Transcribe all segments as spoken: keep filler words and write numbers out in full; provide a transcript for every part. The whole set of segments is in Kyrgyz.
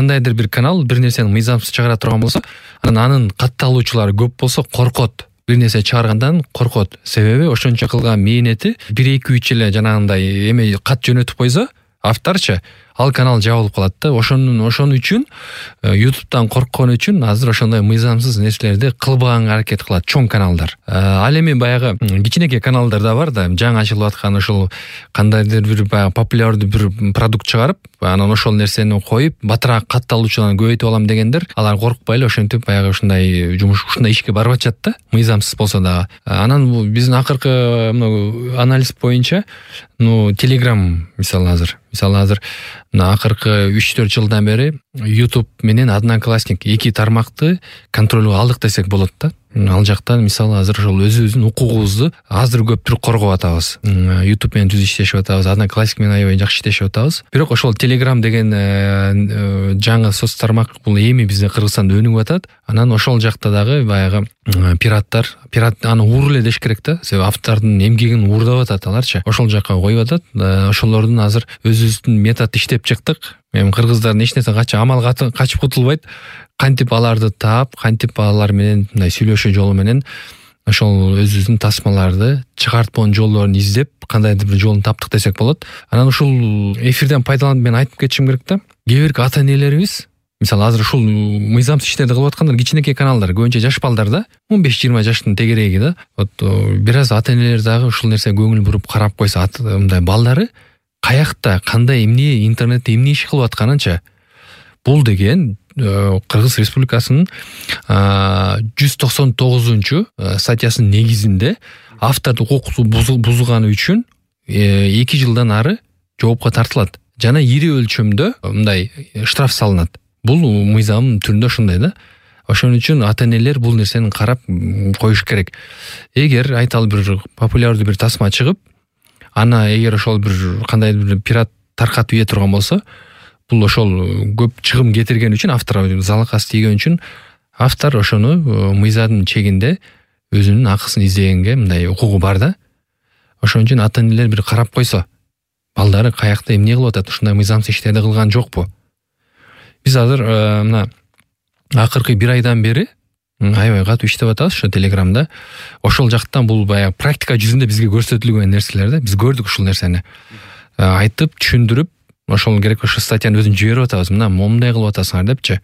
кандайдыр бир канал бир нерсени мыйзамсыз чыгара турган болсо, анан анын катталуучулары көп болсо коркот. Бир нерсе чыгаргандан коркот. Себеби ошончо кылган мээнети бир эки үч эле жанагындай эме кат жөнөтүп койсо, авторчу ал канал жабылып калат да. Ошонун ошон үчүн YouTube'дан корккон үчүн азыр ошондой мыйзамсыз нерселерди кылбаганга аракет кылат чоң каналдар. Ал эми баягы кичинекей каналдар да бар да, жаңы ачылып аткан ошол кандайдыр бир баягы популярдуу бир продукт чыгарып, анан ошол нерсени коюп, батыраак катталуучуларын көбөйтүп алам дегендер, алар коркпай эле ошентип баягы ушундай жумуш, ушундай ишке барып атышат да, мыйзамсыз болсо дагы. Анан биздин акыркы анализ боюнча, ну, Telegram мисалы азыр, мисалы азыр мына акыркы үч төрт жылдан бери YouTube менен Одноклассник эки тармакты контролго алдык десек болот да. Ал жактан мисалы азыр ошол өзүбүздүн укугубузду азыр көптүр коргоп атабыз. YouTube менен түз иштешип атабыз, Одноклассник менен аябай жакшы иштешип атабыз. Бирок ошол Telegram деген жаңы соц тармак бул эми бизде Кыргызстанда өнүгүп атат. Анан ошол жакта дагы баягы пираттар, пират аны уур эле деш керек да. Себеби автордун эмгегин уурдап атат аларчы. Ошол жакка коюп атат. Ошолордун азыр өзүбүздүн метод иштеп чыктык. Эми кыргыздардын эч нерсе качып амал качып кутулбайт. Кантип аларды таап, кантип алар менен мындай сүйлөшүү жолу менен ошол өзүбүздүн тасмаларды чыгартпоон жолдорун издеп, кандайдыр бир жолун таптык десек болот. Анан ушул эфирден пайдаланып мен айтып кетишим керек да. Кээ бир ата-энелерибиз, мисалы азыр ушул мыйзамсыз иштерди кылып аткандар кичинекей каналдар, көбүнчө жаш балдар да, он беш жыйырма жаштын тегереги да. Вот бир аз ата-энелер дагы ушул нерсеге көңүл буруп карап койсо, мындай балдары каякта, кандай эмне интернетте эмне иш кылып атканынча, бул деген Кыргыз Республикасынын жүз токсон тогузунчу статьясынын негизинде автордук укукту бузганы үчүн эки жылдан ары жоопко тартылат жана ири өлчөмдө мындай штраф салынат. Бул мыйзамдын түрүндө ушундай да. Ошон үчүн ата-энелер бул нерсени карап коюш керек. Эгер айталы бир популярдуу бир тасма чыгып, аны эгер ошол бир кандайдыр бир пират таркатып ийе турган болсо, бул ошол көп чыгым кетирген үчүн, автор залакасы тийген үчүн, автор ошону мыйзамдын чегинде өзүнүн акысын издегенге мындай укугу бар да. Ошон үчүн ата-энелер бир карап койсо, балдары каякта эмне кылып атат, ушундай мыйзамсыз иштерди кылган жокпу? Биз азыр мына акыркы бир айдан бери аябай катуу иштеп атабыз ошо Телеграмда. Ошол жактан бул баягы практика жүзүндө бизге көрсөтүлгөн нерселер да. Биз көрдүк ушул нерсени. Айтып, түшүндүрүп, ошол керек ошо статьяны өзүн жиберип атабыз. Мына момундай кылып атасыңар депчи.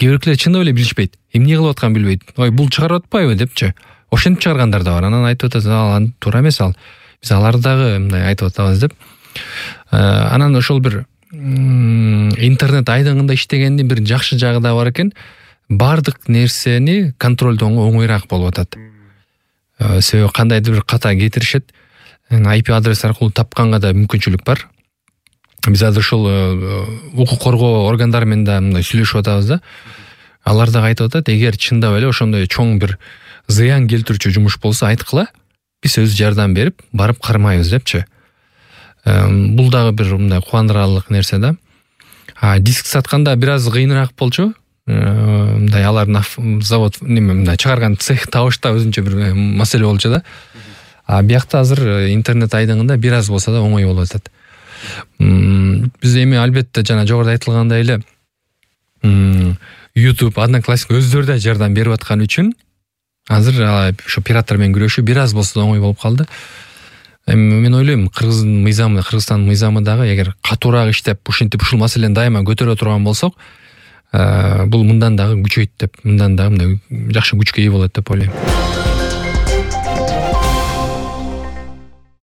Кээ биркилер чындап эле билишпейт. Эмне кылып атканын билбейт. Ой, бул чыгарып атпайбы депчи. Ошентип чыгаргандар да бар. Анан айтып атат, ал туура эмес ал. Биз аларды дагы мындай айтып атабыз деп. Анан ошол бир интернет айдыңында иштегендин бир жакшы жагы да бар экен. Бардык нерсени контролдоого оңойраак болуп атат. Себеби кандайдыр бир ката кетиришет, ай пи адрес аркылуу тапканга да мүмкүнчүлүк бар. Биз азыр ошол укук коргоо органдары менен да мындай сүйлөшүп атабыз да. Алар да айтып атат, эгер чындап эле ошондой чоң бир зыян келтирүүчү жумуш болсо айткыла, биз өз жардам берип, барып кармайбыз депчи. Бул дагы бир мындай кубандырарлык нерсе да. Диск сатканда бир аз кыйыныраак болчу. Мындай алардын завод неме мындай чыгарган цех табышта өзүнчө бир маселе болчу да. А биякта азыр интернет айдыңында бир аз болсо да оңой болуп атат. Биз эми албетте жана жогоруда айтылгандай эле YouTube, Одноклассник өздөрү да жардам берип аткан үчүн азыр ошо пираттар менен күрөшүү бир аз болсо да оңой болуп калды. Эми мен ойлойм, Кыргыздын мыйзамы, Кыргызстандын мыйзамы дагы эгер катуураак иштеп, ушинтип ушул маселени дайыма көтөрө турган болсок, бул мындан дагы күчөйт деп, мындан дагы мындай жакшы күчкө ээ болот деп ойлойм.